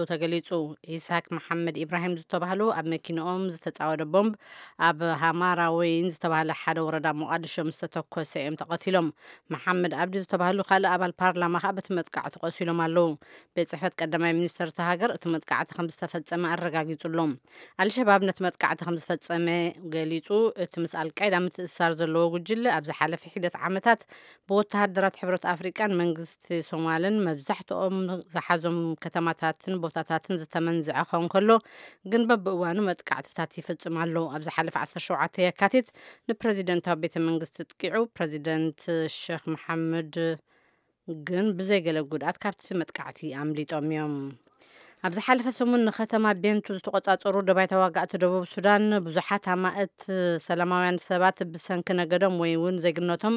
ተገሊጹ። ኢስሐቅ መሓመድ ኢብራሂም ዝተባህሉ ኣብ መኪንኦም ዝተጻወደ ቦምብ ኣብ ሃማራ ወይን ዝተባህለ ሓደ ወረዳ ሞቓድሾ ምስ ተተኮሰ እዮም ተቐቲሎም። መሓመድ ኣብዲ ዝተባህሉ ካልእ ኣባል ፓርላማ ከኣ በቲ መጥቃዕቲ ቆሲሎም ኣለዉ። ቤት ጽሕፈት ቀዳማይ ሚኒስተር እታ ሃገር እቲ መጥቃዕቲ ከም ዝተፈጸመ ኣረጋጊጹ ኣሎ። ኣልሸባብ ነቲ መጥቃዕቲ ከም ዝፈጸመ ገሊጹ። እቲ ምስ ኣልቃይዳ ምትእስሳር ዘለዎ ጉጅለ ኣብ ዝሓለፈ ሒደት ዓመታት ብወተሃደራት ሕብረት ኣፍሪቃን መንግስቲ ሶማልን መብዛሕትኦም ዝሓዞም ከተማታትን ቦታታትን ዝተመንዝዐ ክኸውን ከሎ፣ ግን በብእዋኑ መጥቃዕትታት ይፍጽም ኣሎ። ኣብ ዝሓለፈ ዓሰርተ ሸውዓተ የካቲት ንፕረዚደንታዊ ቤተ መንግስቲ ጥቂዑ፣ ፕረዚደንት ሸኽ መሓመድ ግን ብዘይገለ ጉድኣት ካብቲ መጥቃዕቲ ኣምሊጦም እዮም። ኣብ ዝሓለፈ ሰሙን ንከተማ ቤንቱ ዝተቆጻጸሩ ደባይ ተዋጋእቲ ደቡብ ሱዳን ብዙሓት ኣማእት ሰላማውያን ሰባት ብሰንኪ ነገዶም ወይ እውን ዜግነቶም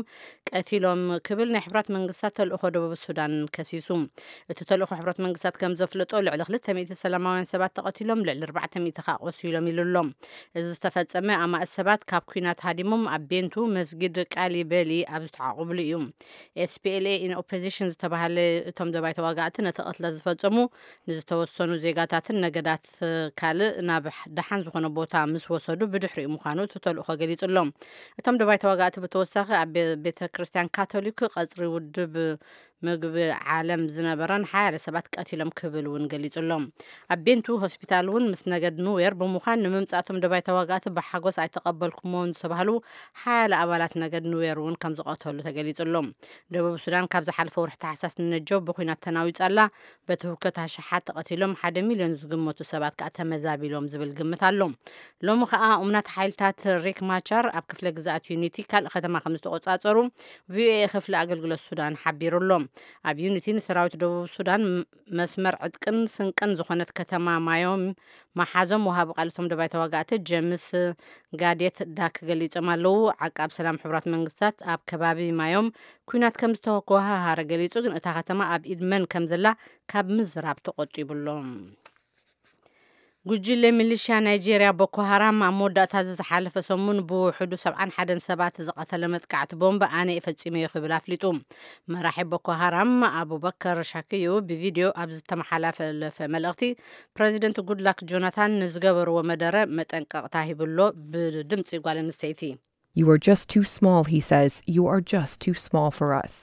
ቀቲሎም ክብል ናይ ሕብራት መንግስታት ተልእኾ ደቡብ ሱዳን ከሲሱ። እቲ ተልእኾ ሕብረት መንግስታት ከም ዘፍለጦ ልዕሊ ክልተ ሚእቲ ሰላማውያን ሰባት ተቐቲሎም፣ ልዕሊ ኣርባዕተ ሚእቲ ከኣ ቆሲሎም ኢሉ ኣሎ። እዚ ዝተፈጸመ ኣማእት ሰባት ካብ ኲናት ሃዲሞም ኣብ ቤንቱ መስጊድ ቃሊ በሊ ኣብ ዝተዓቑብሉ እዩ። ኤስፒኤልኤ ኢን ኦፖዚሽን ዝተባህለ እቶም ደባይ ተዋጋእቲ ነቲ ቅትለት ዝፈጸሙ ንዝተወሰኑ ዜጋታትን ነገዳት ካልእ ናብ ደሓን ዝኾነ ቦታ ምስ ወሰዱ ብድሕሪኡ ምዃኑ እቲ ተልእኾ ገሊጹ ኣሎ። እቶም ደባይ ተዋጋእቲ ብተወሳኺ ኣብ ቤ-፣ ቤተ ክርስቲያን ካቶሊክ ቀጽሪ ውድብ ምግቢ ዓለም ዝነበረን ሓያለ ሰባት ቀቲሎም ክብል እውን ገሊጹ ኣሎ። ኣብ ቤንቱ ሆስፒታል እውን ምስ ነገድ ኑዌር ብምዃን ንምምጻእቶም ደባይ ተዋጋእቲ ብሓጎስ ኣይተቐበልኩሞን ዝተባህሉ ሓያለ ኣባላት ነገድ ኑዌር እውን ከም ዝቐተሉ ተገሊጹ ኣሎ። ደቡብ ሱዳን ካብ ዝሓለፈ ወርሒ ታሕሳስ ንነጀው ብኲናት ተናዊጻ ኣላ። በቲ ህውከት ኣሽሓት ተቐቲሎም ሓደ ሚልዮን ዝግመቱ ሰባት ከኣ ተመዛቢሎም ዝብል ግምት ኣሎ። ሎሚ ከኣ እሙናት ሓይልታት ሪክ ማቻር ኣብ ክፍለ ግዝኣት ዩኒቲ ካልእ ከተማ ከም ዝተቆጻጸሩ ቪኦኤ ክፍሊ ኣገልግሎት ሱዳን ሓቢሩ ኣሎ። ኣብ ዩኒቲ ንሰራዊት ደቡብ ሱዳን ም-፣ መስመር ዕጥቅን ስንቅን ዝኾነት ከተማ ማዮም መሓዞም ወሃቢ ቃል እቶም ደባይ ተዋጋእቲ ጀምስ ጋዴት ዳክ ገሊጾም ኣለዉ። ዓቃብ ሰላም ሕቡራት መንግስታት ኣብ ከባቢ ማዮም ኲናት ከም ዝተወሃሃረ ገሊጹ፣ ግን እታ ከተማ ኣብ ኢድ መን ከም ዘላ ካብ ምዝራብ ተቖጢቡ ኣሎ። ጉጅለ ሚሊሽያ ናይጄርያ ቦኮ ሃራም ኣብ መወዳእታ እዚ ዝሓለፈ ሰሙን ብውሕዱ ሰብዓን ሓደን ሰባት ዝቐተለ መጥቃዕቲ ቦምብ ኣነ እየ ፈጺመዮ ክብል ኣፍሊጡ። መራሒ ቦኮ ሃራም ኣቡበከር ሻክዩ ብቪድዮ ኣብ ዝተመሓላለፈ መልእኽቲ፣ ፕረዚደንት ጉድላክ ጆናታን ንዝገበርዎ መደረ መጠንቀቕታ ሂብሎ ብድምጺ ጓል ኣንስተይቲ። You are just too small, he says. You are just too small for us.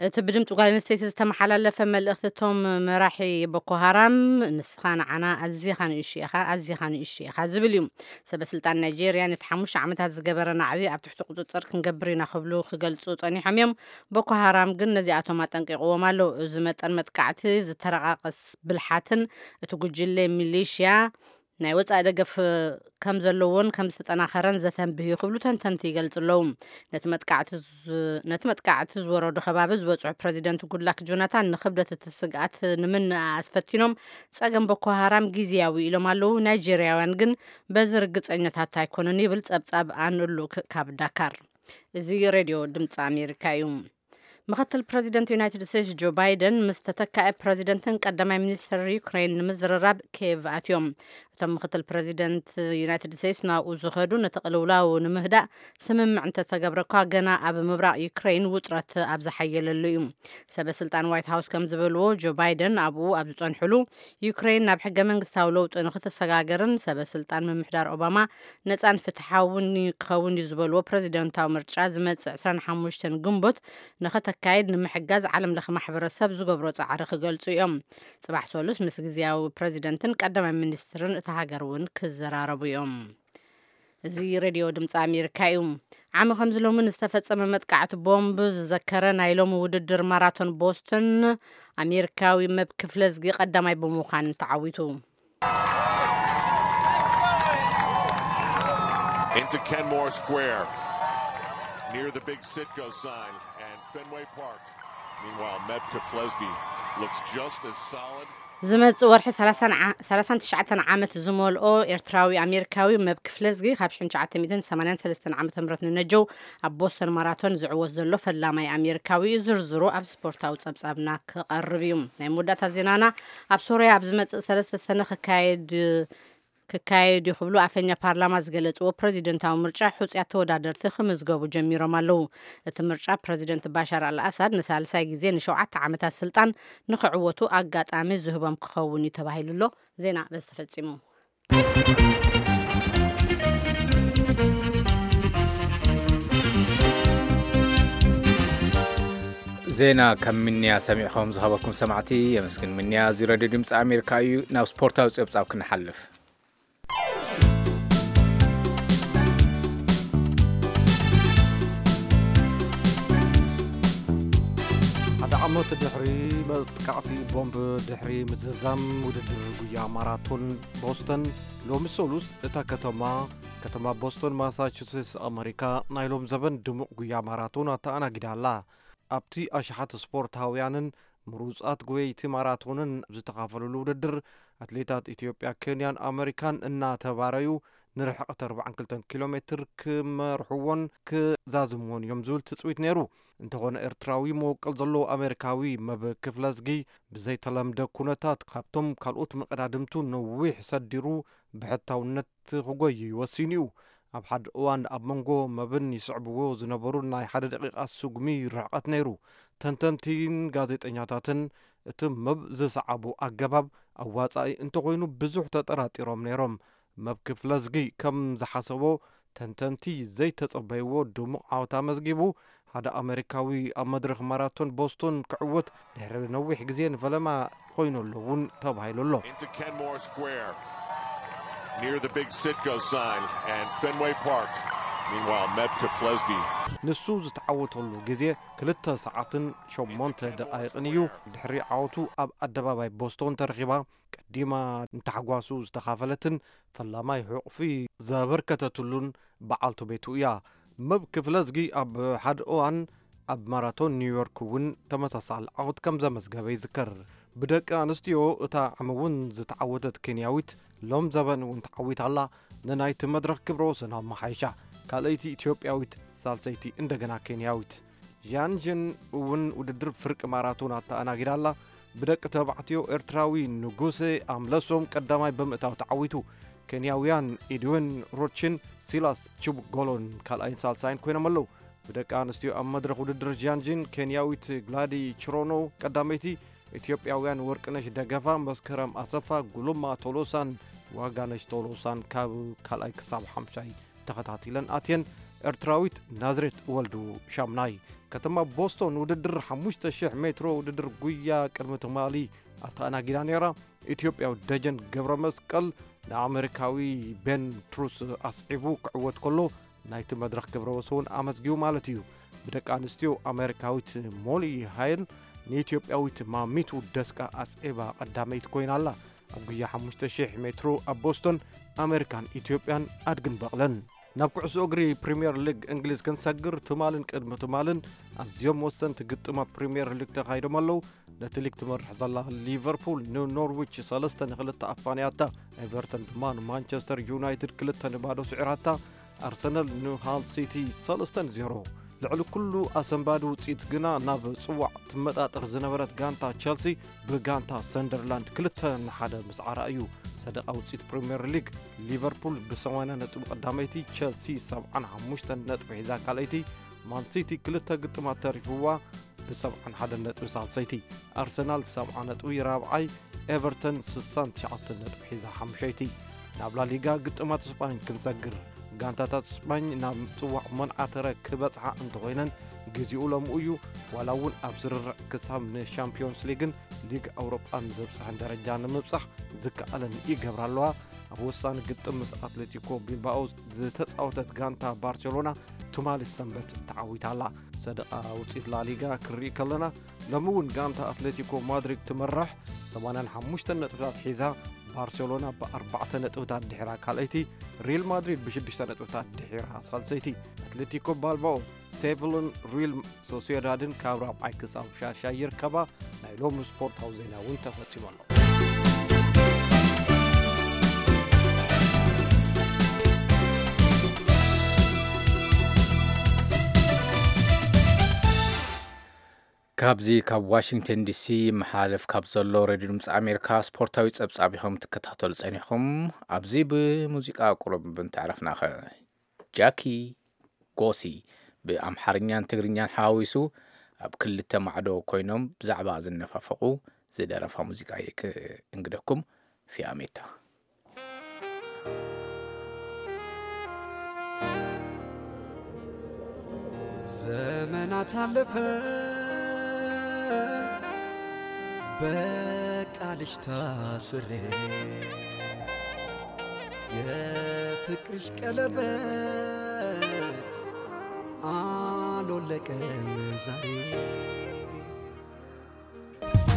እቲ ብድምፂ ጓል ኣንስተይቲ ዝተመሓላለፈ መልእኽቲ እቶም መራሒ ቦኮ ሃራም፣ "ንስኻ ንዓና ኣዚኻ ንእሽቶ ኢኻ፣ ኣዚኻ ንእሽቶ ኢኻ" ዝብል እዩ። ሰበ ስልጣን ናይጄርያ ነቲ ሓሙሽተ ዓመታት ዝገበረ ናዕቢ ኣብ ትሕቲ ቁፅፅር ክንገብር ኢና ክብሉ ክገልፁ ፀኒሖም እዮም። ቦኮ ሃራም ግን ነዚኣቶም ኣጠንቂቕዎም ኣሎ። እዚ መጠን መጥቃዕቲ ዝተረቃቀስ ብልሓትን እቲ ጉጅለ ሚሊሽያ ናይ ወጻኢ ደገፍ ከም ዘለዎን ከም ዝተጠናኸረን ዘተንብህ እዩ ክብሉ ተንተንቲ ይገልጹ ኣለዉ። ነቲ መጥቃዕቲ ዝ-፣ ነቲ መጥቃዕቲ ዝወረዶ ከባቢ ዝበጽሑ ፕረዚደንት ጉድላክ ጆናታን ንክብደት እቲ ስግኣት ንምንእኣስ ፈቲኖም ጸገም ቦኮ ሃራም ግዝያዊ ኢሎም ኣለዉ። ናይጄርያውያን ግን በዚ ርግጸኛታት ኣይኮኑን ይብል ጸብጻብ ኣን ሉክ ካብ ዳካር። እዚ ሬድዮ ድምፂ ኣሜሪካ እዩ። ምኽትል ፕረዚደንት ዩናይትድ ስቴትስ ጆ ባይደን ምስ ተተካኢ ፕረዚደንትን ቀዳማይ ሚኒስትር ዩክሬን ንምዝርራብ ኬቭ ኣትዮም። እቶም ምኽትል ፕረዚደንት ዩናይትድ ስቴትስ ናብኡ ዝኸዱ ነቲ ቅልውላው ንምህዳእ ስምምዕ እንተተገብረ እኳ፣ ገና ኣብ ምብራቕ ዩክሬን ውጥረት ኣብ ዝሓየለሉ እዩ። ሰበ ስልጣን ዋይት ሃውስ ከም ዝበልዎ፣ ጆ ባይደን ኣብኡ ኣብ ዝጸንሕሉ፣ ዩክሬን ናብ ሕገ መንግስታዊ ለውጢ ንክትሰጋገርን ሰበ ስልጣን ምምሕዳር ኦባማ ነጻን ፍትሓውን ክኸውን እዩ ዝበልዎ ፕረዚደንታዊ ምርጫ ዝመጽእ ዕስራን ሓሙሽተን ግንቦት ንኸተካይድ ንምሕጋዝ ዓለም ለኸ ማሕበረሰብ ዝገብሮ ጻዕሪ ክገልጹ እዮም። ጽባሕ ሰሉስ ምስ ግዝያዊ ፕረዚደንትን ቀዳማይ ሚኒስትርን እታ ሃገር እውን ክዘራረቡ እዮም። እዚ ሬድዮ ድምፂ ኣሜሪካ እዩ። ዓሚ ከምዚ ሎሚ ንዝተፈጸመ መጥቃዕቲ ቦምብ ዝዘከረ ናይ ሎሚ ውድድር ማራቶን ቦስተን ኣሜሪካዊ መብ ክፍለዝጊ ቀዳማይ ብምዃን ተዓዊቱ። Into Kenmore Square, near the big Citgo sign and Fenway Park. Meanwhile, Meb Keflezighi looks just as solid. ዝመጽእ ወርሒ ሰላሳን ዓ-፣ ሰላሳን ትሽዓተን ዓመት ዝመልኦ ኤርትራዊ ኣሜሪካዊ መብ ክፍለዝጊ ካብ ሽሕን ትሽዓተ ሚእትን ሰማንያን ሰለስተን ዓመተ ምህረት ንነጀው ኣብ ቦስተን ማራቶን ዝዕወት ዘሎ ፈላማይ ኣሜሪካዊ እዩ። ዝርዝሩ ኣብ ስፖርታዊ ጸብጻብና ክቐርብ እዩ። ናይ መወዳእታ ዜናና፣ ኣብ ሶርያ ኣብ ዝመጽእ ሰለስተ ሰነ ክካየድ ክካየድ እዩ ክብሉ ኣፈኛ ፓርላማ ዝገለጽዎ ፕረዚደንታዊ ምርጫ፣ ሕጹያት ተወዳደርቲ ክምዝገቡ ጀሚሮም ኣለዉ። እቲ ምርጫ፣ ፕረዚደንት ባሻር ኣልኣሳድ ንሳልሳይ ግዜ ንሸውዓተ ዓመታት ስልጣን ንኽዕወቱ ኣጋጣሚ ዝህቦም ክኸውን እዩ ተባሂሉ ኣሎ። ዜና በዚ ተፈጺሙ። ዜና ከም ምንያ ሰሚዕኹም ዝኸበኩም ሰማዕቲ የመስግን። ምንያ፣ እዚ ሬድዮ ድምፂ ኣሜሪካ እዩ። ናብ ስፖርታዊ ፀብፃብ ክንሓልፍ። ሓደ ዓመት ድሕሪ መጥቃዕቲ ቦምብ፣ ድሕሪ ምዝዛም ውድድር ጉያ ማራቶን ቦስተን፣ ሎሚ ሰሉስ እታ ከተማ፣ ከተማ ቦስተን ማሳቹሴትስ ኣመሪካ፣ ናይ ሎም ዘበን ድሙቕ ጉያ ማራቶን ኣተኣናጊዳ ኣላ። ኣብቲ ኣሽሓት ስፖርታውያንን ምሩጻት ጎየይቲ ማራቶንን ዝተኻፈሉሉ ውድድር፣ ኣትሌታት ኢትዮጵያ፣ ኬንያን ኣመሪካን እናተባረዩ ንርሕቀት ኣርባዓን ክልተን ኪሎ ሜትር ክመርሕዎን ክዛዝምዎን እዮም ዝብል ትጽቢት ነይሩ። እንተኾነ፣ ኤርትራዊ መወቀል ዘለዎ ኣሜሪካዊ መብ ክፍለዝጊ፣ ብዘይተለምደ ኩነታት ካብቶም ካልኦት መቐዳድምቱ ነዊሕ ሰዲሩ ብሕታውነት ክጎይይ ወሲኑ እዩ። ኣብ ሓደ እዋን ኣብ መንጎ መብን ይስዕብዎ ዝነበሩ ናይ ሓደ ደቂቓ ስጉሚ ርሕቀት ነይሩ። ተንተንቲን ጋዜጠኛታትን እቲ መብ ዝሰዓቦ ኣገባብ ኣዋጻኢ እንተኾይኑ ብዙሕ ተጠራጢሮም ነይሮም። መብ ክፍለዝጊ ከም ዝሓሰቦ ተንተንቲ ዘይተጸበይዎ ድሙቕ ዓወት ኣመዝጊቡ። ሓደ ኣመሪካዊ ኣብ መድረኽ ማራቶን ቦስቶን ክዕወት ድሕሪ ነዊሕ ግዜ ንፈለማ ኮይኑ ኣሎ እውን ተባሂሉ ኣሎ። Into Kenmore Square, near the big Citgo sign and Fenway Park. Meanwhile, Meb Keflezighi ንሱ ዝተዓወተሉ ግዜ ክልተ ሰዓትን ሸሞንተ ደቓይቕን እዩ። ድሕሪ ዓወቱ ኣብ ኣደባባይ ቦስቶን ተረኺባ ቀዲማ ንታሕጓሱ ዝተኻፈለትን ፈላማይ ሕቑፊ ዘበርከተትሉን በዓልቲ ቤቱ እያ። መብ ክፍለዝጊ ኣብ ሓደ እዋን ኣብ ማራቶን ኒውዮርክ እውን ተመሳሳሊ ዓወት ከም ዘመዝገበ ይዝከር። ብደቂ ኣንስትዮ እታ ዓሚ እውን ዝተዓወተት ኬንያዊት ሎም ዘበን እውን ተዓዊታ ኣላ። ንናይቲ መድረኽ ክብረ ወሰን ኣመሓይሻ። ካልኣይቲ ኢትዮጵያዊት፣ ሳልሰይቲ እንደገና ኬንያዊት። ዣንዥን እውን ውድድር ፍርቂ ማራቶን ኣተኣናጊዳ ኣላ። ብደቂ ተባዕትዮ ኤርትራዊ ንጉሴ ኣምለሶም ቀዳማይ ብምእታው ተዓዊቱ። ኬንያውያን ኢድዊን ሮችን ሲላስ ቺቡጎሎን ካልኣይን ሳልሳይን ኮይኖም ኣለዉ። ብደቂ ኣንስትዮ ኣብ መድረኽ ውድድር ዣንዥን፣ ኬንያዊት ግላዲ ችሮኖ ቀዳመይቲ፣ ኢትዮጵያውያን ወርቅነሽ ደገፋ፣ መስከረም ኣሰፋ፣ ጉሉማ ቶሎሳን ዋጋነሽ ቶሎሳን ካብ ካልኣይ ክሳብ ሓምሻይ ተኸታቲለን ኣትየን። ኤርትራዊት ናዝሬት ወልዱ ሻምናይ። ከተማ ቦስቶን ውድድር ሓሙሽተ ሽሕ ሜትሮ ውድድር ጉያ ቅድሚ ትማሊ ኣተኣናጊዳ ነይራ። ኢትዮጵያዊ ደጀን ገብረ መስቀል ንኣመሪካዊ ቤን ትሩስ ኣስዒቡ ክዕወት ከሎ፣ ናይቲ መድረኽ ክብረ ወሰን ኣመዝጊቡ ማለት እዩ። ብደቂ ኣንስትዮ፣ ኣመሪካዊት ሞሊ ሃይል ንኢትዮጵያዊት ማሚቱ ደስቃ ኣስዒባ ቀዳመይቲ ኮይና ኣላ። ኣብ ጉያ ሓሙሽተ ሽሕ ሜትሮ ኣብ ቦስቶን ኣመሪካን ኢትዮጵያን ኣድግን በቕለን። ናብ ኩዕሶ እግሪ ፕሪምየር ሊግ እንግሊዝ ክንሰግር፣ ትማልን ቅድሚ ትማልን ኣዝዮም ወሰንቲ ግጥማት ፕሪምየር ሊግ ተኻይዶም ኣለዉ። ነቲ ሊግ ትመርሕ ዘላ ሊቨርፑል ንኖርዊች ሰለስተ ንክልተ ኣፋንያታ። ኤቨርተን ድማ ንማንቸስተር ዩናይትድ ክልተ ንባዶ ስዒራታ። ኣርሰናል ንሃል ሲቲ ሰለስተ ንዜሮ። ልዕሊ ኩሉ ኣሰንባዲ ውጽኢት ግና ናብ ጽዋዕ ትመጣጠር ዝነበረት ጋንታ ቸልሲ ብጋንታ ሰንደርላንድ ክልተ ንሓደ ምስዓራ እዩ። ሰደቓ ውጽኢት ፕሪምየር ሊግ፣ ሊቨርፑል ብሰማንያ ነጥቢ ቀዳመይቲ፣ ቸልሲ ሰብዓን ሓሙሽተን ነጥቢ ሒዛ ካልኣይቲ፣ ማን ሲቲ ክልተ ግጥማት ተሪፍዋ ብሰብዓን ሓደን ነጥቢ ሳልሰይቲ፣ ኣርሰናል ሰብዓ ነጥቢ ራብዓይ፣ ኤቨርተን ስሳን ትሽዓተን ነጥቢ ሒዛ ሓምሸይቲ። ናብ ላሊጋ ግጥማት ስጳኝ ክንሰግር፣ ጋንታታት ስጳኝ ናብ ጽዋዕ መንዓተረ ክበጽሓ እንተኾይነን፣ ግዜኡ ለምኡ እዩ። ዋላ እውን ኣብ ስርርዕ ክሳብ ንሻምፒዮንስ ሊግን ሊግ ኣውሮጳን ዘብጽሐን ደረጃ ንምብጻሕ ዝከኣለን ይገብራ ኣለዋ። ኣብ ወሳኒ ግጥም ምስ ኣትሌቲኮ ቢልባኦ ዝተጻወተት ጋንታ ባርሴሎና ትማሊ ሰንበት ተዓዊታ ኣላ። ሰደቓ ውጽኢት ላሊጋ ክንርኢ ከለና፣ ሎሚ እውን ጋንታ ኣትሌቲኮ ማድሪድ ትመርሕ፣ ሰማንያን ሓሙሽተን ነጥብታት ሒዛ፣ ባርሴሎና ብኣርባዕተ ነጥብታት ድሒራ ካልኣይቲ፣ ሪል ማድሪድ ብሽዱሽተ ነጥብታት ድሒራ ሳልሰይቲ። ኣትሌቲኮ ባልባኦ፣ ሴቪልን ሪል ሶሲዳድን ካብ ራብዓይ ክሳብ ሻሻይ ይርከባ። ናይ ሎሚ ስፖርታዊ ዜና እውን ተፈጺሙ ኣሎ። ካብዚ ካብ ዋሽንግተን ዲሲ መሓለፍ ካብ ዘሎ ሬድዮ ድምፂ ኣሜሪካ ስፖርታዊ ፀብፃብ ኢኹም ትከታተሉ ፀኒኹም። ኣብዚ ብሙዚቃ ቁሩብ እንተዕረፍናኸ፣ ጃኪ ጎሲ ብኣምሓርኛን ትግርኛን ሓዋዊሱ ኣብ ክልተ ማዕዶ ኮይኖም ብዛዕባ ዝነፋፈቑ ዝደረፋ ሙዚቃ እየ ክእንግደኩም። ፊያሜታ። ዘመናት አለፈ በቃልሽ ታስሬ የፍቅርሽ ቀለበት አልወለቀም ዛሬ።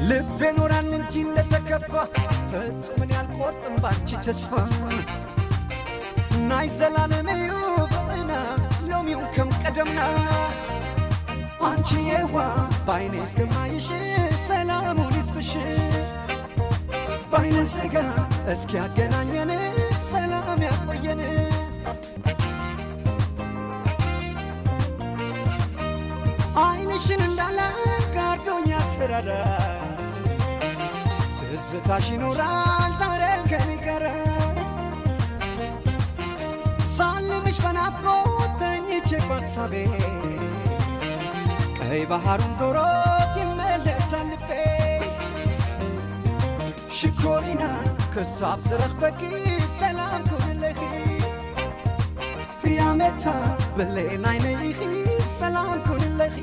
ልቤ ኖራል እንጂ እንደተከፋ ፈጹም እኔ አልቆርጥም ባንቺ ተስፋ። ናይ ዘላለም እዩ ፍቅርና ሎሚውን ከም ቀደምና። አንቺ የዋ ባይኔ እስከማይሽ ሰላሙን ይስጥሽ። ባይነ ስጋ እስኪ ያገናኘን ሰላም ያቆየን። አይንሽን እንዳለ ጋርዶኛ ተራራ ትዝታሽ ይኖራል ዛሬ ከኔ ጋራ። ሳልምሽ በናፍቆት ተኝቼ ባሳቤ ቀይ ባህሩን ዞሮ ይመለሳል ልቤ። ሽኮሪና ክሳብ ዝረኽበኪ ሰላም ኩንለኺ። ፍያመታ ብሌን ዓይነይ ኢኺ ሰላም ኩንለኺ።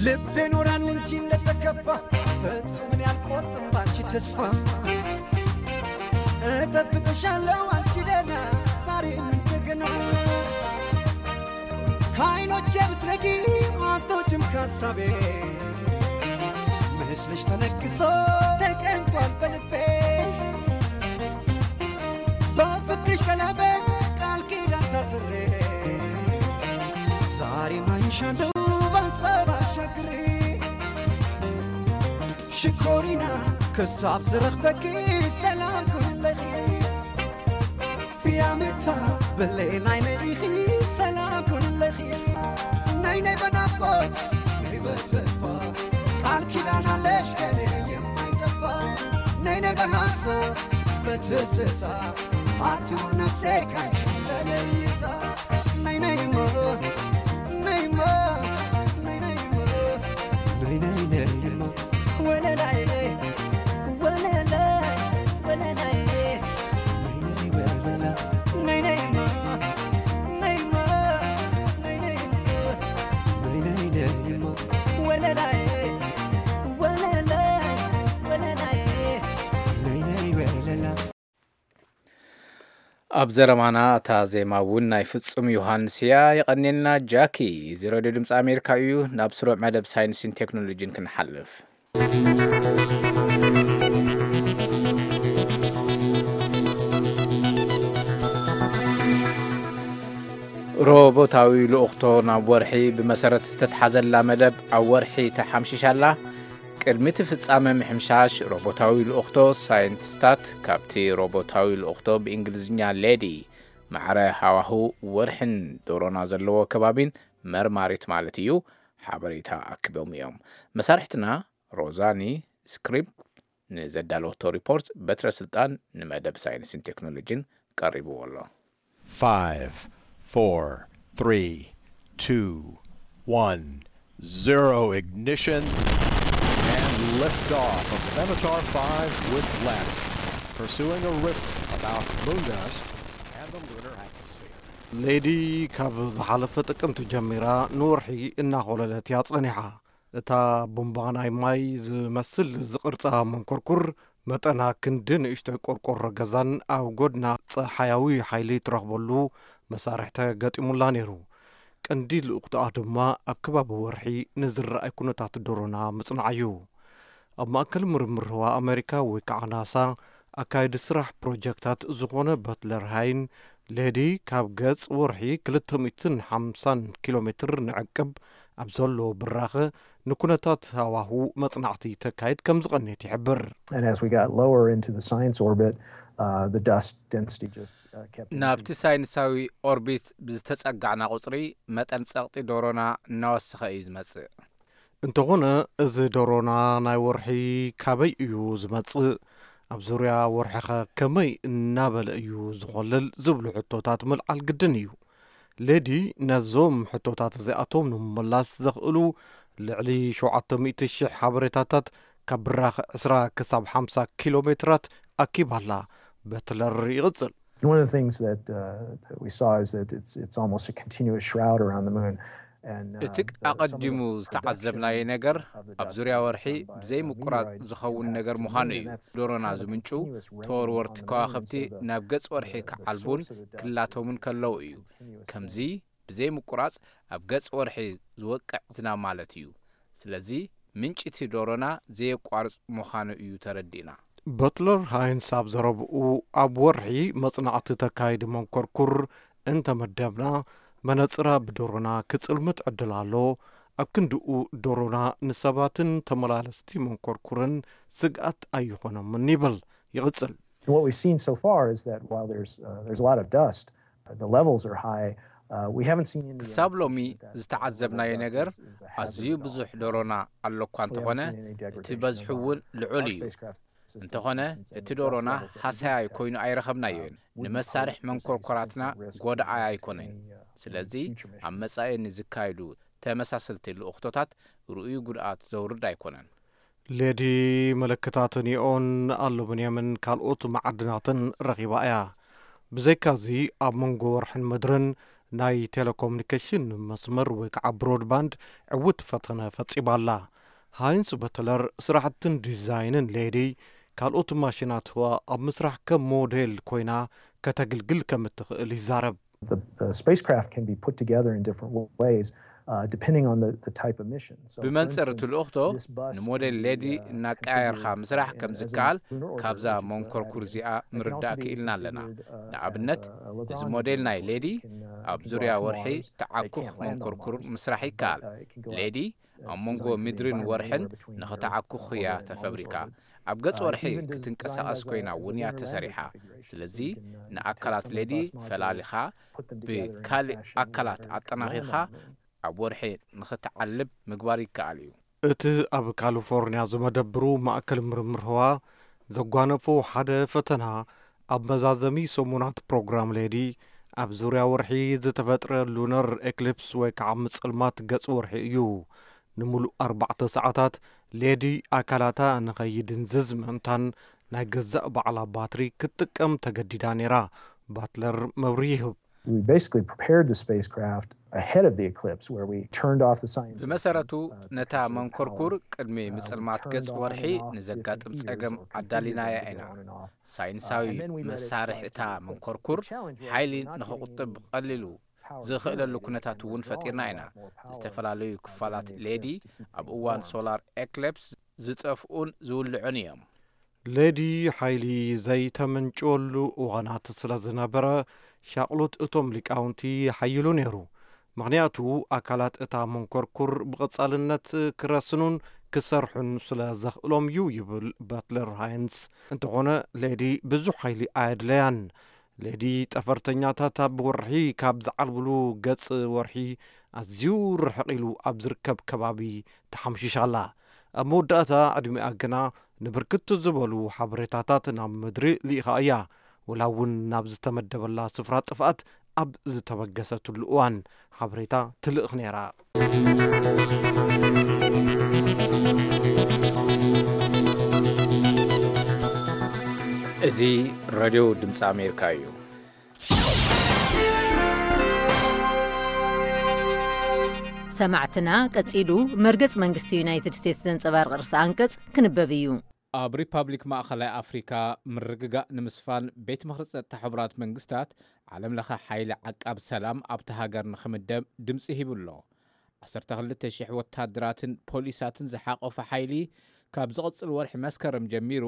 ልቤ ኖራል እንጂ እንደተከፋ ፈጹም እኔ አልቆርጥም ባንቺ ተስፋ። እጠብቅሻለሁ አንቺ ደህና ዛሬም እንደገና። ከዓይኖቼ ብትረቂ አትወጭም ከሀሳቤ። ምስልሽ ተነግሶ ተቀምጧል በልቤ። በፍቅርሽ ቀለበት ቃል ኪዳን ታስሬ ዛሬ ማይሻለው በሀሳብ አሻግሬ። ሽኮሪና ክሳብ ዝረኽበኪ ሰላም ኩንለኺ። ፍያመታ ብሌን ዓይነይ ኢኺ ሰላም ኩንለኺ። ነይ ነይ በናፍቆት ነይ በተስፋ ቃል ኪዳን አለሽ ከኔ የማይጠፋ። ነይ ነይ በሐሳብ በትዝታ አትኑር ነፍሴ ካንቺ ተለይታ። ነይ ነይማ ነይማ ነይ ነይማ ነይ ነይ ነይማ ወለላዬ ወለላ ወለላዬ ነይ ነይ ወለላ ነይ ነይማ ነይማ ነይ ነይማ ነይ ነይ ነይማ ወለላዬ ወለላ ወለላዬ ነይ ነይ ወለላ። ኣብ ዘረባና እታ ዜማ እውን ናይ ፍጹም ዮሃንስ እያ። የቐንየልና ጃኪ። እዚ ሬድዮ ድምፂ ኣሜሪካ እዩ። ናብ ስሩዕ መደብ ሳይንስን ቴክኖሎጂን ክንሓልፍ። ሮቦታዊ ልኡኽቶ ናብ ወርሒ ብመሰረት ዝተትሓዘላ መደብ ኣብ ወርሒ ተሓምሺሻ ኣላ። ቅድሚ እቲ ፍጻመ ምሕምሻሽ ሮቦታዊ ልኡኽቶ፣ ሳይንቲስታት ካብቲ ሮቦታዊ ልኡኽቶ ብእንግሊዝኛ ሌዲ ማዕረ ሃዋህው ወርሕን ዶሮና ዘለዎ ከባቢን መርማሪት ማለት እዩ ሓበሬታ ኣክቦም እዮም። መሳርሕትና ሮዛኒ ስክሪፕ ንዘዳለወቶ ሪፖርት በትረ ስልጣን ንመደብ ሳይንስን ቴክኖሎጂን ቀሪብዎ ኣሎ። Five, four, three, two, one, zero ignition, and liftoff of Venator five with Gladys, pursuing a riddle about moon dust and the lunar atmosphere. ሌዲ ካብ ዝሓለፈ ጥቅምቲ ጀሚራ ንወርሒ እናኾለለት እያ ጸኒሓ። እታ ቡምባ ናይ ማይ ዝመስል ዝቕርጻ መንኮርኩር መጠና ክንዲ ንእሽቶይ ቆርቆሮ ገዛን ኣብ ጎድና ጸሓያዊ ሓይሊ ትረኽበሉ መሳርሒ ተገጢሙላ ነይሩ። ቀንዲ ልኡኽቶኣ ድማ ኣብ ከባቢ ወርሒ ንዝረኣይ ኩነታት ዶሮና ምጽናዕ እዩ። ኣብ ማእከል ምርምር ህዋ ኣመሪካ ወይ ከዓ ናሳ ኣካየዲ ስራሕ ፕሮጀክታት ዝኾነ በትለር ሃይን ሌዲ ካብ ገጽ ወርሒ ክልተ ሚእትን ሓምሳን ኪሎ ሜትር ንዕቅብ ኣብ ዘሎ ብራኸ ንኩነታት ሃዋሁ መጽናዕቲ ተካይድ ከም ዝቐንየት ይሕብር። And as we got lower into the science orbit, uh, the dust density just uh, kept ናብቲ increasing. ሳይንሳዊ ኦርቢት ብዝተጸጋዕና ቁጽሪ መጠን ጸቕጢ ዶሮና እናወሰኸ እዩ ዝመጽእ። እንተኾነ፣ እዚ ዶሮና ናይ ወርሒ ካበይ እዩ ዝመጽእ፣ ኣብ ዙርያ ወርሒኸ ከመይ እናበለ እዩ ዝኾልል ዝብሉ ሕቶታት ምልዓል ግድን እዩ። ሌዲ ነዞም ሕቶታት እዚኣቶም ንምምላስ ዘኽእሉ ልዕሊ ሸውዓተ ሚእቲ ሽሕ ሓበሬታታት ካብ ብራኽ ዕስራ ክሳብ ሓምሳ ኪሎ ሜትራት ኣኪባላ። በትለር ይቕጽል። One of the things that, uh, that we saw is that it's, it's almost a continuous shroud around the moon. And, uh, እቲ the- some of the ኣቐዲሙ production ዝተዓዘብናዮ ነገር of the ኣብ dust ዙርያ was ወርሒ done by, ብዘይ uh, ምቁራጽ meteorites ዝኸውን impacts ነገር to the ምዃኑ moon, እዩ። and that's ዶሮና kind of a ዝምንጩ continuous rain ተወርወርቲ on the moon, and ከዋኽብቲ so the- ናብ ገጽ ወርሒ the- the ክዓልቡን source of the dust ክላተሙን is a ከለዉ እዩ። continuous ከምዚ thing. ብዘይ ምቁራጽ ኣብ ገጽ ወርሒ ዝወቅዕ ዝናብ ማለት እዩ። ስለዚ ምንጭቲ ዶሮና ዘየቋርጽ ምዃኑ እዩ ተረዲእና። በትለር ሃይንስ ኣብ ዘረብኡ፣ ኣብ ወርሒ መጽናዕቲ ተካይዲ መንኮርኩር እንተመደብና፣ መነጽራ ብዶሮና ክጽልምት ዕድል ኣሎ። ኣብ ክንድኡ፣ ዶሮና ንሰባትን ተመላለስቲ መንኮርኩርን ስግኣት ኣይኾኖምን ይብል። ይቕጽል። What we've seen so far is that while there's uh, there's a lot of dust, uh, the levels are high. Uh, we haven't seen any ክሳብ ሎሚ indication that, uh, ዝተዓዘብናዮ level of dust ነገር is- is a hazard ኣዝዩ at all. ብዙሕ ዶሮና ኣሎ እኳ We haven't እንተኾነ seen any እቲ degradation በዝሑ of እውን our- ልዑል our እዩ። spacecraft systems እንተኾነ and the እቲ dust ዶሮና levels that we ሃሰያ detect, ኮይኑ ኣይረኸብናዮን። uh, wouldn't ንመሳርሕ pose a መንኮርኮራትና significant risk to ጎዳኢ any, ኣይኮነን። uh, ስለዚ future mission. ኣብ መጻኢ ንዝካየዱ ተመሳሰልቲ ልኡኽቶታት ርኡይ ጉድኣት ዘውርድ ኣይኮነን። ሌዲ ምልክታት ኒኦን፣ ኣሉሚንየምን ካልኦት መዓድናትን ረኺባ እያ። ብዘይካዚ፣ ኣብ መንጎ ወርሕን ምድርን ናይ ቴሌኮሙኒኬሽን መስመር ወይ ከዓ ብሮድባንድ ዕውት ፈተነ ፈጺማ ኣላ። ሃይንስ በትለር ስራሕትን ዲዛይንን ሌዲ ካልኦት ማሽናት ህዋ ኣብ ምስራሕ ከም ሞዴል ኮይና ከተግልግል ከም እትኽእል ይዛረብ። The, the spacecraft can be put together in different ways uh, depending on the, the type of mission. So, for ብመንጽር እቲ instance, ልኡኽቶ this bust ንሞዴል can be, ሌዲ uh, እናቀያየርካ configured, ምስራሕ uh, ከም as a ዝከኣል lunar orbiter, ካብዛ which is what መንኮርኩር I've እዚኣ It can also ምርዳእ be ክኢልና ኣለና። configured, uh, ንኣብነት as a, a እዚ ሞዴል mission, ናይ so ሌዲ it can, uh, ኣብ it can ዙርያ go out to ወርሒ Mars. It ተዓኩኽ can't land on መንኮርኩር Mars, ምስራሕ but, ይከኣል። uh, it can go out ሌዲ to ኣብ መንጎ ምድርን ወርሕን ንኽትዓኩኽ እያ ተፈብሪካ። ኣብ ገጽ ወርሒ ክትንቀሳቐስ ኮይና እውን እያ ተሰሪሓ። ስለዚ ንኣካላት ሌዲ ፈላሊኻ ብካልእ ኣካላት ኣጠናኺርካ ኣብ ወርሒ ንኽትዓልብ ምግባር ይከኣል እዩ። እቲ ኣብ ካሊፎርኒያ ዝመደብሩ ማእከል ምርምር ህዋ ዘጓነፎ ሓደ ፈተና፣ ኣብ መዛዘሚ ሰሙናት ፕሮግራም ሌዲ ኣብ ዙርያ ወርሒ ዝተፈጥረ ሉነር ኤክሊፕስ ወይ ከዓ ምጽልማት ገጽ ወርሒ እዩ። ንምሉእ ኣርባዕተ ሰዓታት ሌዲ ኣካላታ ንኸይድንዝዝ ምእንታን ናይ ገዛእ ባዕላ ባትሪ ክትጥቀም ተገዲዳ ነይራ። ባትለር መብርሂ ይህብ። We basically prepared the spacecraft ahead of the eclipse, where we turned off the science. ብመሰረቱ engines, uh, to ነታ conserve መንኮርኩር power. ቅድሚ Uh, we ምጽልማት turned ገጽ on ወርሒ and off ንዘጋጥም different ጸገም heaters or ኣዳሊናያ configured them to ኢና። go on and off. ሳይንሳዊ Uh, and then we let it መሳርሒ fly እታ through the eclipse. መንኮርኩር The challenge was ሓይሊ we're not getting ንኽቁጥብ any ብቐሊሉ power ዝኽእለሉ generated ኩነታት and we're እውን drawing ፈጢርና a ኢና። lot more power ዝተፈላለዩ uh, ክፋላት during the ሌዲ eclipse to keep ኣብ the እዋን storms. ሶላር ኤክሊፕስ ዝጠፍኡን ዝውልዑን እዮም። ሌዲ ሓይሊ ዘይተምንጭወሉ እዋናት ስለ ዝነበረ፣ ሻቕሎት እቶም ሊቃውንቲ ሓይሉ ነይሩ። ምኽንያቱ፣ ኣካላት እታ መንኮርኩር ብቐጻልነት ክረስኑን ክሰርሑን ስለ ዘኽእሎም እዩ ይብል በትለር ሃይንስ። እንተኾነ፣ ሌዲ ብዙሕ ሓይሊ ኣየድለያን። ሌዲ ጠፈርተኛታት ኣብ ወርሒ ካብ ዝዓልብሉ ገጽ ወርሒ ኣዝዩ ርሕቕ ኢሉ ኣብ ዝርከብ ከባቢ ተሓምሺሻ ኣላ። ኣብ መወዳእታ ዕድሚኣ ግና ንብርክት ዝበሉ ሓበሬታታት ናብ ምድሪ ልኢኻ እያ፣ ወላ እውን ናብ ዝተመደበላ ስፍራ ጥፍኣት ኣብ ዝተበገሰትሉ እዋን ሓበሬታ ትልእኽ ነይራ። እዚ ሬድዮ ድምፂ ኣሜሪካ እዩ። ሰማዕትና፣ ቀጺሉ መርገጽ መንግስቲ ዩናይትድ ስቴትስ ዘንጸባርቕ ርእሰ ኣንቀጽ ክንበብ እዩ። ኣብ ሪፓብሊክ ማእኸላይ ኣፍሪካ ምርግጋእ ንምስፋን ቤት ምኽሪ ጸጥታ ሕቡራት መንግስታት ዓለም ለኸ ሓይሊ ዓቃብ ሰላም ኣብቲ ሃገር ንኽምደብ ድምፂ ሂቡ ኣሎ። ዓሰርተ ክልተ ሽሕ ወታደራትን ፖሊሳትን ዝሓቆፈ ሓይሊ ካብ ዝቕጽል ወርሒ መስከረም ጀሚሩ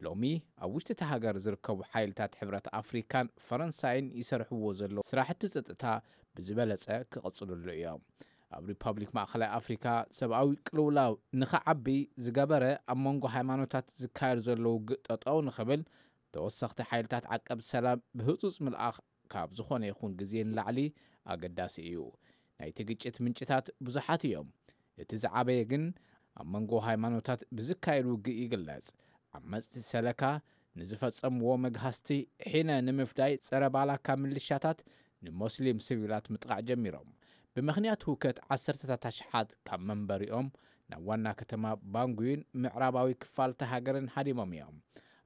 ሎሚ ኣብ ውሽጢ እቲ ሃገር ዝርከቡ ሓይልታት ሕብረት ኣፍሪካን ፈረንሳይን ይሰርሕዎ ዘለዉ ስራሕቲ ጸጥታ ብዝበለጸ ክቕጽልሉ እዮም። ኣብ ሪፓብሊክ ማእኸላይ ኣፍሪካ ሰብኣዊ ቅልውላው ንኽዓቢ ዝገበረ ኣብ መንጎ ሃይማኖታት ዝካየድ ዘሎ ውግእ ጠጠው ንኽብል ተወሰኽቲ ሓይልታት ዓቀብ ሰላም ብህፁፅ ምልኣኽ ካብ ዝኾነ ይኹን ግዜ ንላዕሊ ኣገዳሲ እዩ። ናይቲ ግጭት ምንጭታት ብዙሓት እዮም። እቲ ዝዓበየ ግን ኣብ መንጎ ሃይማኖታት ብዝካየድ ውግእ ይግለጽ። ዓመጽቲ ሰለካ ንዝፈጸምዎ መግሃስቲ ሒነ ንምፍዳይ ጸረ ባላካ ምልሻታት ንሞስሊም ሲቪላት ምጥቓዕ ጀሚሮም። ብምኽንያት ህውከት ዓሰርተታት ኣሽሓት ካብ መንበሪኦም ናብ ዋና ከተማ ባንጉይን ምዕራባዊ ክፋል እታ ሃገርን ሃዲሞም እዮም።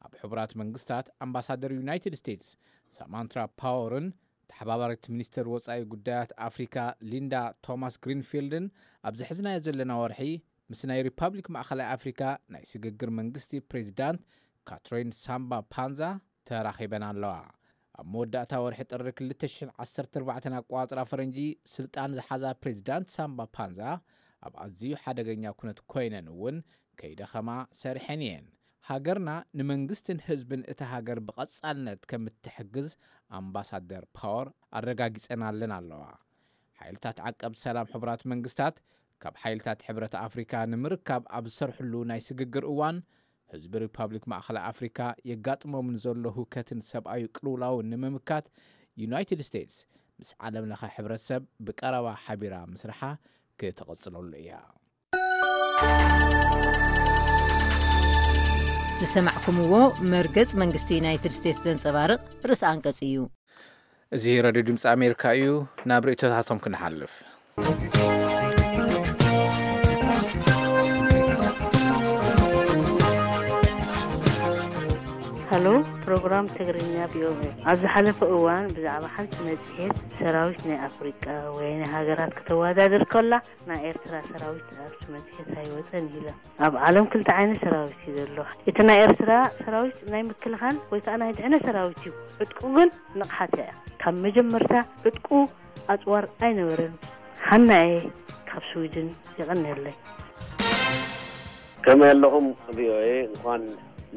ኣብ ሕቡራት መንግስታት ኣምባሳደር ዩናይትድ ስቴትስ ሳማንትራ ፓወርን ተሓባባሪት ሚኒስተር ወጻኢ ጉዳያት ኣፍሪካ ሊንዳ ቶማስ ግሪንፊልድን ኣብ ዝሕዝናዮ ዘለና ወርሒ ምስ ናይ ሪፓብሊክ ማእኸላይ ኣፍሪካ ናይ ስግግር መንግስቲ ፕሬዚዳንት ካትሪን ሳምባ ፓንዛ ተራኺበን ኣለዋ። ኣብ መወዳእታ ወርሒ ጥሪ ክልተ ሽሕን ዓሰርተ ኣርባዕተን ኣቆጻጽራ ፈረንጂ ስልጣን ዝሓዛ ፕሬዚዳንት ሳምባ ፓንዛ ኣብ ኣዝዩ ሓደገኛ ኩነት ኮይነን እውን ከይደኸማ ሰሪሐን እየን። ሃገርና ንመንግስትን ህዝብን እታ ሃገር ብቐጻልነት ከም እትሕግዝ ኣምባሳደር ፓወር ኣረጋጊጸናለን ኣለዋ። ሓይልታት ዓቀብ ሰላም ሕቡራት መንግስታት ካብ ሓይልታት ሕብረት ኣፍሪካ ንምርካብ ኣብ ዝሰርሕሉ ናይ ስግግር እዋን ህዝቢ ሪፓብሊክ ማእኸላይ ኣፍሪካ የጋጥሞም ንዘሎ ህውከትን ሰብኣዊ ቅልውላውን ንምምካት ዩናይትድ ስቴትስ ምስ ዓለም ለኸ ሕብረተሰብ ብቀረባ ሓቢራ ምስርሓ ክትቕጽለሉ እያ። ዝሰማዕኩምዎ መርገጽ መንግስቲ ዩናይትድ ስቴትስ ዘንጸባርቕ ርእሰ ኣንቀጽ እዩ። እዚ ሬድዮ ድምፂ ኣሜሪካ እዩ። ናብ ርእይቶታቶም ክንሓልፍ። ሃሎ፣ ፕሮግራም ትግርኛ ቪኦኤ። ኣብ ዝሓለፈ እዋን ብዛዕባ ሓንቲ መጽሔት ሰራዊት ናይ ኣፍሪቃ ወይ ናይ ሃገራት ከተወዳድር ከላ፣ ናይ ኤርትራ ሰራዊት ኣብቲ መጽሔት ኣይወጸን ኢላ። ኣብ ዓለም ክልተ ዓይነት ሰራዊት እዩ ዘሎ። እቲ ናይ ኤርትራ ሰራዊት ናይ ምክልኻል ወይ ከዓ ናይ ድሕነ ሰራዊት እዩ። ዕጥቁ ግን ንቕሓት እያ። ካብ መጀመርታ ዕጥቁ ኣጽዋር ኣይነበረን። ሃናኤ ካብ ስዊድን። የቐንየለይ። ከመይ ኣለኹም ቪኦኤ? እንኳን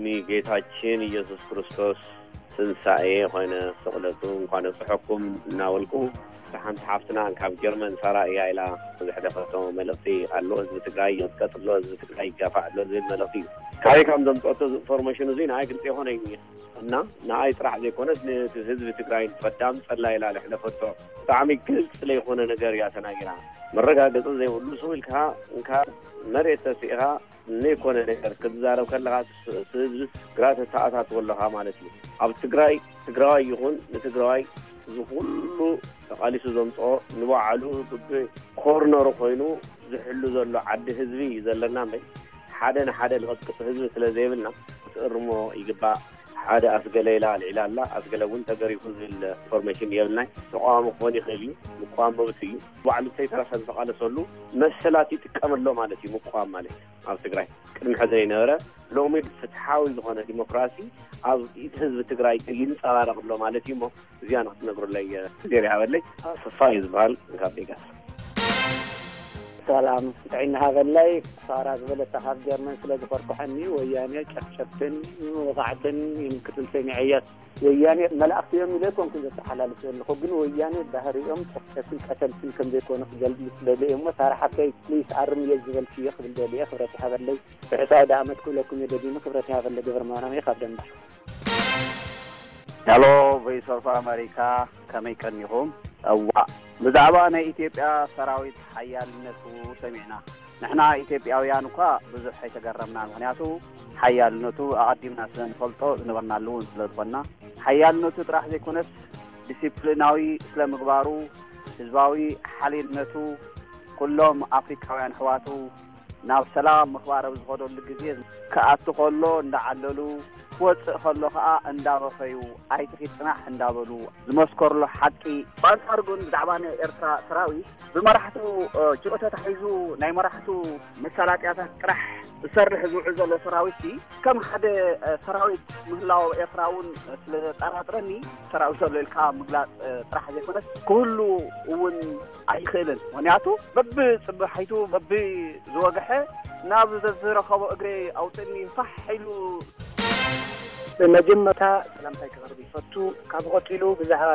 ንጌታችን ኢየሱስ ክርስቶስ ትንሳኤ ኾይነ ስቕለቱ እንኳን ኣብፅሐኩም እናበልኩ፣ እታ ሓንቲ ሓፍትና ካብ ጀርመን ሳራ እያ ኢላ ዘሕለፈቶ መልእኽቲ ኣሎ። ህዝቢ ትግራይ ይቕጥቀጥ ኣሎ፣ ህዝቢ ትግራይ ይጋፋዕ ኣሎ ዝብል መልእኽቲ እዩ። ካበይ ከም ዘምፀአቶ እዚ ኢንፎርሜሽን እዚ ንዓይ ግልፂ ኣይኮነይን እዩ። እና ንዓይ ጥራሕ ዘይኮነስ ነቲ ህዝቢ ትግራይ ፈዳም ፀላ ኢላ ዘሕለፈቶ ብጣዕሚ ግልፂ ዘይኮነ ነገር እያ ተናጊራ። መረጋገፂ ዘይብሉ ስው ኢልካ እንካ መሬት ተሲእኻ ዘይኮነ ነገር ክትዛረብ ከለኻ እቲ ህዝቢ ግራ ተተኣታትዎ ኣለኻ ማለት እዩ። ኣብ ትግራይ ትግራዋይ ይኹን ንትግራዋይ እዚ ኩሉ ተቓሊሱ ዘምፅኦ ንባዕሉ ብብኮርነሩ ኮይኑ ዝሕሉ ዘሎ ዓዲ ህዝቢ እዩ ዘለና እምበይ ሓደ ንሓደ ንቐጥቅጥ ህዝቢ ስለ ዘይብልና ክትእርሞ ይግባእ። ሓደ ኣስገለ ኢላ ኣልዒላ ኣላ፣ ኣስገለ እውን ተገሪፉ ዝብል ኢንፎርሜሽን የብልናይ። ተቃዋሚ ክኾን ይኽእል እዩ፣ ምቋም መብቱ እዩ። ባዕሉ እንተይተረፈ ዝተቓለሰሉ መሰላት ይጥቀም ኣሎ ማለት እዩ። ምቋም ማለት ኣብ ትግራይ ቅድሚ ሕዚ ዘይነበረ ሎሚ ፍትሓዊ ዝኾነ ዲሞክራሲ ኣብ ኢድ ህዝቢ ትግራይ ይንፀባረቕ ኣሎ ማለት እዩ። እሞ እዚኣ ንክትነግሩለይ ግዜ ይሃበለይ። ኣሰፋ እዩ ዝበሃል ካብ ቬጋስ። ሰላም ጥዕና ሃበለይ። ሳራ ዝበለታ ካብ ጀርመን ስለ ዝኮርኩሐኒ ወያኔ ጨፍጨፍትን ወቃዕትን ይምክትን ሰሚዐያ። ወያኔ መላእክቲ እዮም ኢለ ኣይኮንኩን ዘተሓላልፍ ዘለኹ፣ ግን ወያኔ ባህሪኦም ጨፍጨፍትን ቀተልትን ከም ዘይኮኑ ክገልጽ ደሊ እየ እሞ ሳራ ሓፍተይ ፕሊስ ኣርምዮ ዝበልክዮ ክብል ደሊ እየ። ክብረት ይሃበለይ። ብሕሳዊ ደኣ ኣመት ክብለኩም እየ ደጊመ። ክብረት ይሃበለይ። ገብረ ማርያም እየ ካብ ደንባር። ሄሎ ቮይስ ኦፍ ኣመሪካ፣ ከመይ ቀኒኹም? እዋእ፣ ብዛዕባ ናይ ኢትዮጵያ ሰራዊት ሓያልነቱ ሰሚዕና። ንሕና ኢትዮጵያውያን እኳ ብዙሕ ኣይተገረምናን፣ ምኽንያቱ ሓያልነቱ ኣቐዲምና ስለ ንፈልጦ ዝነበርናሉ እውን ስለ ዝኾንና። ሓያልነቱ ጥራሕ ዘይኮነስ ዲሲፕሊናዊ ስለ ምግባሩ፣ ህዝባዊ ሓልነቱ፣ ኩሎም ኣፍሪካውያን ኣሕዋቱ ናብ ሰላም ምኽባር ኣብ ዝኸደሉ ግዜ ክኣቱ ከሎ እንዳዓለሉ፣ ክወፅእ ከሎ ከዓ እንዳበኸዩ፣ ኣይትኺድ ፅናሕ እንዳበሉ ዝመስከርሉ ሓቂ። ብኣንፃሩ ግን ብዛዕባ ናይ ኤርትራ ሰራዊት ብመራሕቱ ጅኦ ተታሒዙ ናይ መራሕቱ መሳላጥያታት ጥራሕ ዝሰርሕ ዝውዕል ዘሎ ሰራዊት ሲ ከም ሓደ ሰራዊት ምህላው ኤርትራ እውን ስለ ዘጠራጥረኒ ሰራዊት ዘሎ ኢልካ ምግላፅ ጥራሕ ዘይኮነስ ክህሉ እውን ኣይኽእልን። ምክንያቱ በብፅባሒቱ በብዝወግሐ ናብ ዘዝረኸቦ እግሪ ኣውፅእኒ ፋሕ ኢሉ። ብመጀመርታ ሰላምታይ ክቐርብ ይፈቱ። ካብ ቀፂሉ ብዛዕባ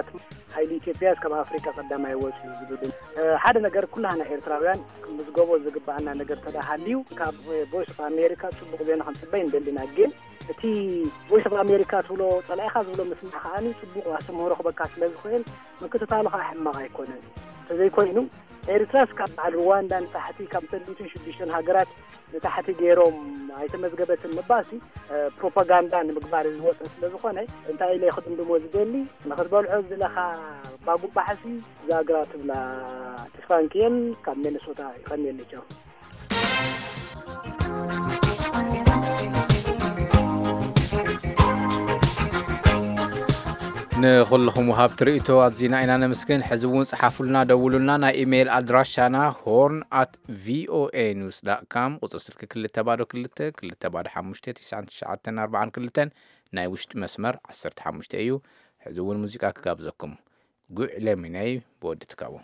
ሓይሊ ኢትዮጵያ ካብ ኣፍሪካ ቀዳማይ ወፂኡ ዝብል፣ እ፣ ሓደ ነገር ኩላህና ኤርትራውያን ክንምዝገቦ ዝግባኣና ነገር ተደሃልዩ ካብ ቮይስ ኦፍ ኣሜሪካ ፅቡቅ ዜና ክንፅበይ እንደሊና። ግን እቲ ቮይስ ኦፍ ኣሜሪካ ትብሎ፣ ፀላኢኻ ዝብሎ ምስማዕ ከዓኒ ፅቡቅ ኣስተምህሮ ክበካ ስለ ዝኽእል ምክትታሉ ከዓ ሕማቕ ኣይኮነን። ተዘይኮይኑ ኤርትራስ ካብ በዓል ሩዋንዳ ንታሕቲ ካብ ሰለስተ ሚእትን ሽዱሽተን ሃገራት ንታሕቲ ገይሮም ኣይተመዝገበትን ምባልሲ፣ እ፣ ፕሮፓጋንዳ ንምግባር ዝወፀ ስለ ዝኾነ እንታይ ኢለ ክድምድሞ ዝደሊ፣ ንክትበልዖ ዝለኻ ባጉባሕሲ ዛግራ ትብላ። ተስፋንክየን ካብ ሚነሶታ ይቐንየለይ። ቻው። ንኹልኹም ወሃብቲ ርእይቶ ኣዚና ኢና ነመስግን። ሕዚ እውን ጸሓፉልና፣ ደውሉልና። ናይ ኢሜይል ኣድራሻና ሆርን ኣት ቪኦኤ ኒውስ ዳት ካም፣ ቁጽሪ ስልኪ ክልተ ባዶ ክልተ፣ ክልተ ባዶ ሓሙሽተ፣ ትሽዓን ትሽዓተን ኣርባዓን ክልተን፣ ናይ ውሽጢ መስመር ዓሰርተ ሓሙሽተ እዩ። ሕዚ እውን ሙዚቃ ክጋብዘኩም። ጉዕ ለሚነይ ብወዲ ትካቦ።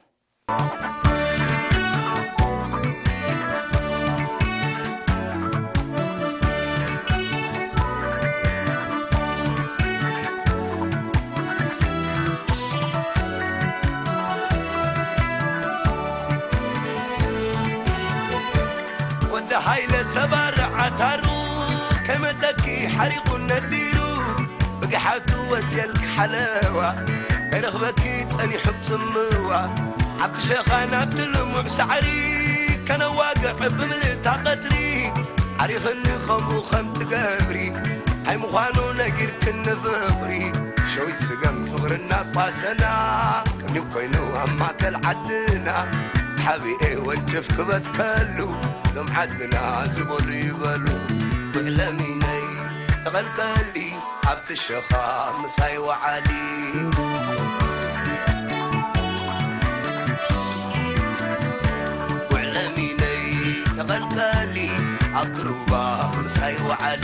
ወዲ ሃይለ ሰባር ዓታሩ ከመፀኪ ሓሪቑ ነዲሩ ብግሓቱ ወፅየልኪ ሓለዋ ከይረኽበኪ ፀኒሑ ፅምዋ ኣብቲ ሸኻ ናብቲ ልሙዕ ሳዕሪ ከነዋግዕ ብምልእታ ቀትሪ ዓሪኽኒ ከምኡ ከም ትገብሪ ኣይምዃኑ ነጊርክኒ ፍቕሪ ሸዊት ስገም ፍቕሪ እናቋሰና ቅኒው ኮይኑ ኣብ ማእከል ዓድና ሓቢኤ ወንጭፍ ክበትከሉ ሎም ዓድና ዝበሉ ይበሉ ጉዕለሚነይ ተቐልቀሊ ኣብቲ ሸኻ ምሳይ ወዓሊ ጉዕለሚነይ ተቐልቀሊ ኣብቲ ሩባ ምሳይ ወዓሊ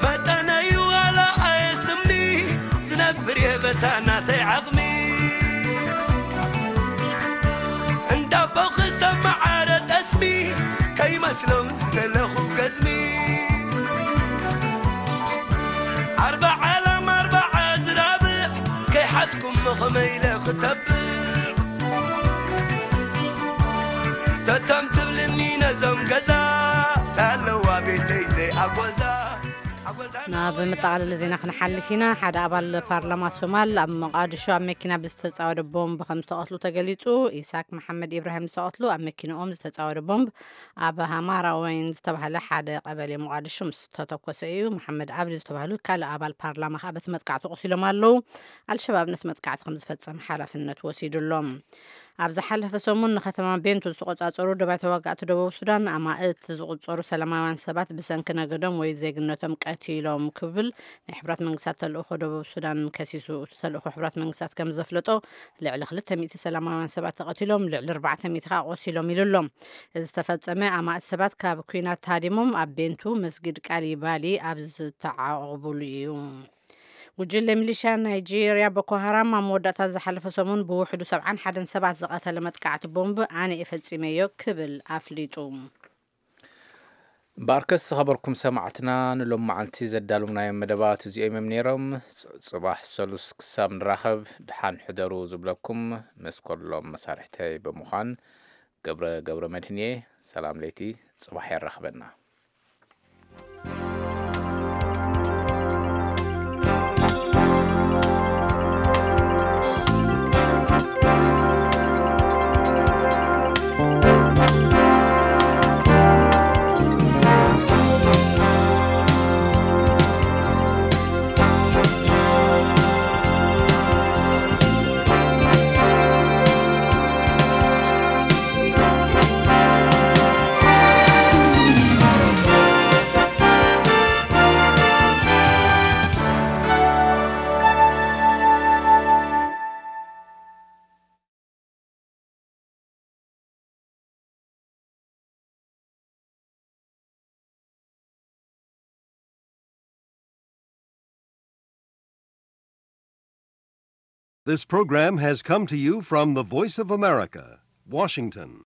መጠነዩ ዋላ ኣየስምኒ ዝነብር የበታ ናተይ ዓቕሚ እንዳቦ ክሰማዓረ ጠስሚ ከይመስሎም ዝደለኹ ገዝሚ ኣርባዓ ላም ኣርባዓ ዝራብዕ ከይሓዝኩም መኸመ ኢለ ክተብዕ ተቶም ትብልኒ ነዞም ገዛ ታለዋ ቤተይ ዘይኣጎዛ ኣጎዛ ናብ መጠቓለሊ ዜና ክንሓልፍ ኢና። ሓደ ኣባል ፓርላማ ሶማል ኣብ መቃድሾ ኣብ መኪና ብዝተጻወደ ቦምብ ከም ዝተቐትሉ ተገሊጹ። ኢሳክ መሓመድ ኢብራሂም ዝተቐትሉ ኣብ መኪንኦም ዝተጻወደ ቦምብ ኣብ ሃማራ ወይን ዝተባህለ ሓደ ቀበሌ መቃድሾ ምስ ተተኮሰ እዩ። መሓመድ ኣብዲ ዝተባህሉ ካልእ ኣባል ፓርላማ ከኣ በቲ መጥቃዕቲ ቆሲሎም ኣለዉ። ኣልሸባብ ነቲ መጥቃዕቲ ከም ዝፈጸመ ሓላፍነት ወሲዱ ኣሎ። ኣብ ዝሓለፈ ሰሙን ንከተማ ቤንቱ ዝተቆጻጸሩ ደባይ ተዋጋእቲ ደቡብ ሱዳን ኣማእት ዝቁጸሩ ሰላማውያን ሰባት ብሰንኪ ነገዶም ወይ ዜግነቶም ቀቲሎም ክብል ናይ ሕብራት መንግስታት ተልእኾ ደቡብ ሱዳን ከሲሱ። እቲ ተልእኾ ሕብራት መንግስታት ከም ዘፍለጦ ልዕሊ ክልተ ሚእቲ ሰላማውያን ሰባት ተቐቲሎም፣ ልዕሊ ኣርባዕተ ሚእቲ ከኣ ቆሲሎም ኢሉ ኣሎ። እዚ ዝተፈጸመ ኣማእት ሰባት ካብ ኲናት ሃዲሞም ኣብ ቤንቱ መስጊድ ቃሊባሊ ኣብ ዝተዓቑብሉ እዩ። ጉጅለ ሚሊሻ ናይጄርያ ቦኮ ሃራም ኣብ መወዳእታ ዝሓለፈ ሰሙን ብውሕዱ ሰብዓን ሓደን ሰባት ዝቐተለ መጥቃዕቲ ቦምብ ኣነ እየ ፈጺመዮ ክብል ኣፍሊጡ። እምበኣርከስ ዝኸበርኩም ሰማዕትና ንሎም መዓልቲ ዘዳለውናዮም መደባት እዚኦም እዮም ነይሮም። ጽ-፣ ጽባሕ ሰሉስ ክሳብ ንራኸብ ደሓን ሕደሩ ዝብለኩም መስኮሎም መሳርሕተይ ብምዃን ገብረ ገብረ መድህን እየ። ሰላም ለይቲ፣ ጽባሕ የራኽበና። This program has come to you from the Voice of America, Washington.